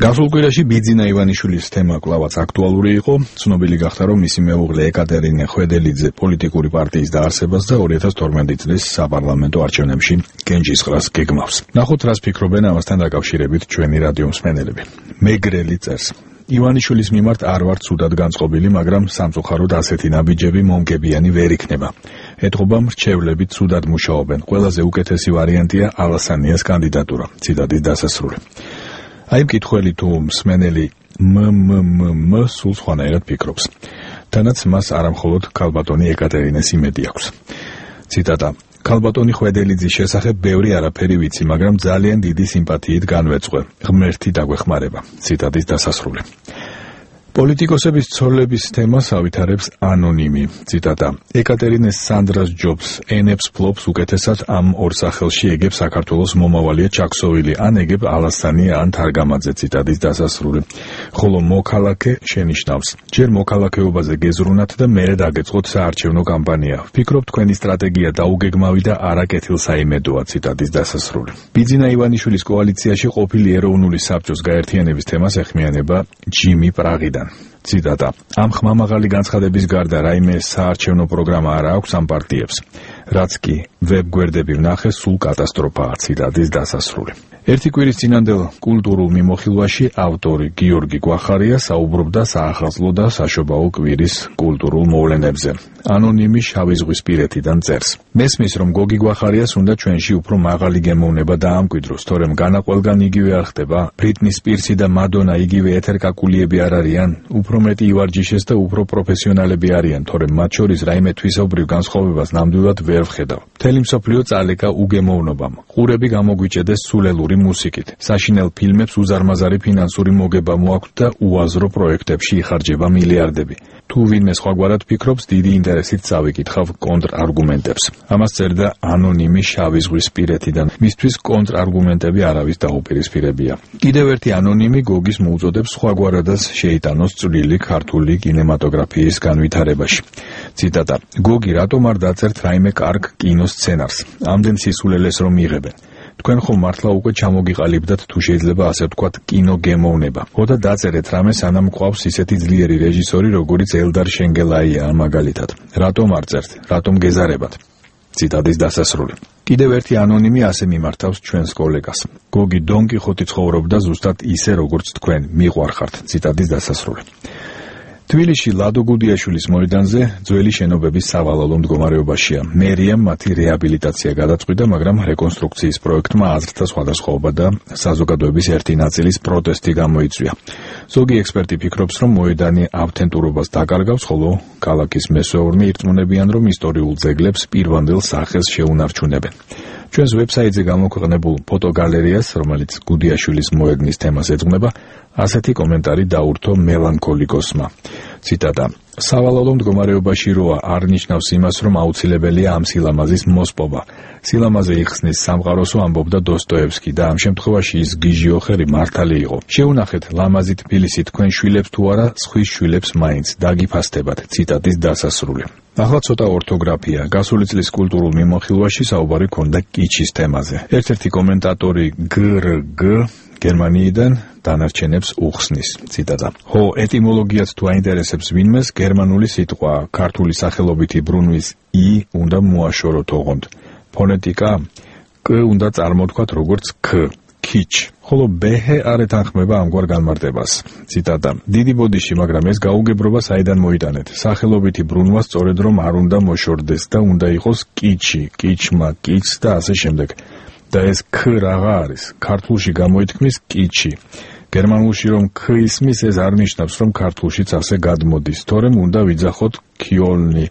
გასულ კვირაში ბიძინა ივანიშვილის თემა კვლავაც აქტუალური იყო. ცნობილი გახდა, რომ მისი მეუღლე ეკატერინე ხვედელიძე პოლიტიკური პარტიის დაარსებას და 2012 წლის საპარლამენტო არჩევნებში გენჯისყრას გეგმავს. ნახოთ, რას ფიქრობენ ამასთან დაკავშირებით ჩვენი რადიო მსმენელები. მეგრელი წერს: ივანიშვილის მიმართ არ ვარ ცუდად განწყობილი, მაგრამ სამწუხაროდ ასეთი ნაბიჯები მომგებიანი ვერ იქნება. ეთყობა მრჩევლები ცუდად მუშაობენ. ყველაზე უკეთესი ვარიანტია ალასანიას კანდიდატურა. ციტატის დასასრული. აი მკითხველი თუ მსმენელი სულ სხვანაირად ფიქრობს. თანაც მას არამხოლოდ ქალბატონი ეკატერინეს იმედი აქვს. ციტატა: ქალბატონი ხვედელიძის შესახებ ბევრი არაფერი ვიცი, მაგრამ ძალიან დიდი სიმპათიით განვეწყვე. ღმერთი დაგვეხმარება. ციტატის დასასრული. პოლიტიკოსების ცოლების თემას ავითარებს ანონიმი. ციტატა: ეკატერინეს სანდრას ჯობს ენებს ფლობს უკეთესად ამ ორ სახელში ეგებ საქართველოს მომავალია ჩაქსოვილი, ან ეგებ ალასანია ან თარგამაძე. ციტატის დასასრული. ხოლო მოქალაქე შენიშნავს: ჯერ მოქალაქეობაზე გეზრუნათ და მერე დაგეწყოთ საარჩევნო კამპანია. ვფიქრობ თქვენი სტრატეგია დაუგეგმავი და არაკეთილსაიმედოა. ციტატის დასასრული. ბიძინა ივანიშვილის კოალიციაში ყოფილი ეროვნული საბჭოს გაერთიანების თემას ეხმიანება ჯიმი პრაღიდან. ციტატა: ამ ხმამაღალი განცხადების გარდა რაიმე საარჩევნო პროგრამა არ აქვს ამ პარტიებს. რაც კი ვებგვერდები ვნახე, სულ კატასტროფაა. ციტატის დასასრული. ერთი კვირის წინანდელ კულტურულ მიმოხილვაში ავტორი გიორგი გვახარია საუბრობდა საახალწლო და საშობაო კვირის კულტურულ მოვლენებზე. ანონიმი შავი ზღვის პირეთიდან წერს: მესმის, რომ გოგი გვახარიას უნდა ჩვენში უფრო მაღალი გემოვნება დაამკვიდროს, თორემ განა ყველგან იგივე არ ხდება. ბრიტნი სპირსი და მადონა იგივე ეთერკაკულიები არ არიან, უფრო მეტი ივარჯიშეს და უფრო პროფესიონალები არიან, თორემ მათ შორის რაიმე თვისობრივ განსხვავებას ნამდვილად ვერ ვხედავ. მთელი მსოფლიო წალეკა უგემოვნობამ. ყურები გამოგვიჭედეს სულელური მუსიკით. საშინელ ფილმებს უზარმაზარი ფინანსური მოგება მოაქვთ და უაზრო პროექტებში იხარჯება მილიარდები. თუ ვინმე სხვაგვარად ფიქრობს, დიდი ინტერესით წავიკითხავ კონტრარგუმენტებს. ამას წერდა ანონიმი შავი ზღვის პირეთიდან. მისთვის კონტრარგუმენტები არავის დაუპირისპირებია. კიდევ ერთი ანონიმი გოგის მოუწოდებს სხვაგვარადაც შეიტანოს წვლილი ქართული კინემატოგრაფიის განვითარებაში. ციტატა: გოგი, რატომ არ დაწერთ რაიმე კარგ კინოსცენარს? ამდენ სისულელეს რომ იღებენ. თქვენ ხომ მართლა უკვე ჩამოგიყალიბდათ, თუ შეიძლება ასე ვთქვათ, კინოგემოვნება. ხოდა დაწერეთ რამე, სანამ გვყავს ისეთი ძლიერი რეჟისორი, როგორიც ელდარ შენგელაია მაგალითად. რატომ არ წერთ? რატომ გეზარებათ? ციტატის დასასრული. კიდევ ერთი ანონიმი ასე მიმართავს ჩვენს კოლეგას: გოგი, დონ კიხოტი ცხოვრობდა ზუსტად ისე, როგორც თქვენ მიყვარხართ. ციტატის დასასრული. თბილისში ლადო გუდიაშვილის მოედანზე ძველი შენობების სავალალო მდგომარეობაშია. მერიამ მათი რეაბილიტაცია გადაწყვიტა, მაგრამ რეკონსტრუქციის პროექტმა აზრთა სხვადასხვაობა და საზოგადოების ერთი ნაწილის პროტესტი გამოიწვია. ზოგი ექსპერტი ფიქრობს, რომ მოედანი ავთენტურობას დაკარგავს, ხოლო ქალაქის მესვეურნი ირწმუნებიან, რომ ისტორიულ ძეგლებს პირვანდელ სახეს შეუნარჩუნებენ. ჩვენს ვებსაიტზე გამოქვეყნებულ ფოტოგალერეას, რომელიც გუდიაშვილის მოედნის თემას ეძღვნება, ასეთი კომენტარი დაურთო მელანქოლიკოსმა. ციტატა: სავალალო მდგომარეობაში როა არ ნიშნავს იმას, რომ აუცილებელია ამ სილამაზის მოსპობა. სილამაზე იხსნის სამყაროსო, ამბობდა დოსტოევსკი და ამ შემთხვევაში ის გიჟიოხერი მართალი იყო. შეუნახეთ ლამაზი თბილისი, თქვენ შვილებს თუ არა, სხვის შვილებს მაინც დაგიფასდებათ. ციტატის დასასრული. ახლა ცოტა ორთოგრაფია. გასული წლის კულტურულ მიმოხილვაში საუბარი ქონდა კიჩის თემაზე. ერთ-ერთი კომენტატორი გრგ გერმანიიდან დანარჩენებს უხსნის. ციტატა: ხო, ეტიმოლოგიაც თუ აინტერესებს ვინმეს, გერმანული სიტყვა ქართული სახელობითი ბრუნვის ი უნდა მოაშოროთ ოღონდ. ფონეტიკა კ უნდა წარმოთქვათ როგორც ქ, ქიჩ, ხოლო ბეჰე არ ეთანხმება ამგვარ განმარტებას. ციტატა: დიდი ბოდიში, მაგრამ ეს გაუგებრობა საიდან მოიტანეთ? სახელობითი ბრუნვა სწორედ რომ არ უნდა მოშორდეს და უნდა იყოს კიჩი, კიჩმა, კიჩს და ასე შემდეგ. და ეს ქ რაღა არის? ქართულში გამოითქმის კიჩი. გერმანულში რომ ქ ისმის, ეს არ ნიშნავს, რომ ქართულშიც ასე გადმოდის, თორემ უნდა ვიძახოთ ქიოლნი,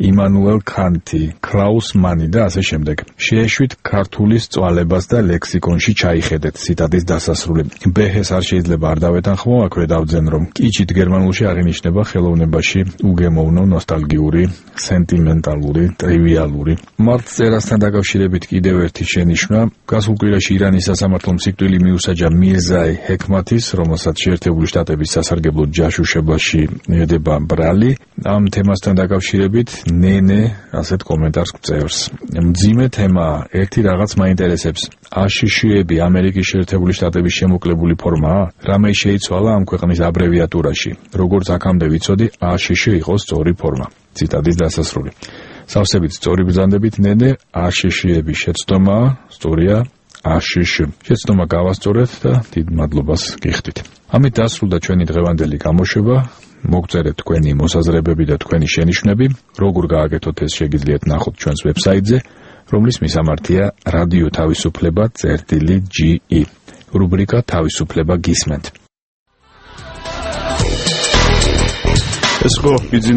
იმანუელ კანტი, კლაუს მანი და ასე შემდეგ. შეეშვით ქართულის წვალებას და ლექსიკონში ჩაიხედეთ. ციტატის დასასრული. ბეჰეს არ შეიძლება არ დავეთანხმო, აქვე დავძენ, რომ კიჩით გერმანულში აღინიშნება ხელოვნებაში უგემოვნო, ნოსტალგიური, სენტიმენტალური, ტრივიალური. მართლწერასთან დაკავშირებით კიდევ ერთი შენიშვნა. გასულ კვირაში ირანის სასამართლო მსიკვდილი მიუსაჯა მირზაი ჰექმათის, რომელსაც შეერთებული შტატების სასარგებლო ჯაშუშებაში ედება ბრალი. ამ თემასთან დაკავშირებით ნენე ასეთ კომენტარს გწერს. მძიმე თემაა, ერთი რაღაც მაინტერესებს. აშშ-ები ამერიკის შეერთებული შტატების შემოკლებული ფორმაა? რამე შეიცვალა ამ ქვეყნის აბრევიატურაში. როგორც აქამდე ვიცოდი, აშშ იყო სწორი ფორმა. ციტატის დასასრული. სავსებით სწორი ბრძანდებით ნენე, აშშ-ების შეცდომაა, სწორია აშშ. შეცდომა გავასწორეთ და დიდ მადლობას გიხდით. ამით დასრულდა ჩვენი დღევანდელი გამოშვება. მოგწერეთ თქვენი მოსაზრებები და თქვენი შენიშვნები. როგორ გააკეთოთ ეს შეგიძლიათ ნახოთ ჩვენს ვებსაიტზე, რომლის მისამართია რადიო თავისუფლება.ge. რუბრიკა თავისუფლება გისმენთ. ეს ხო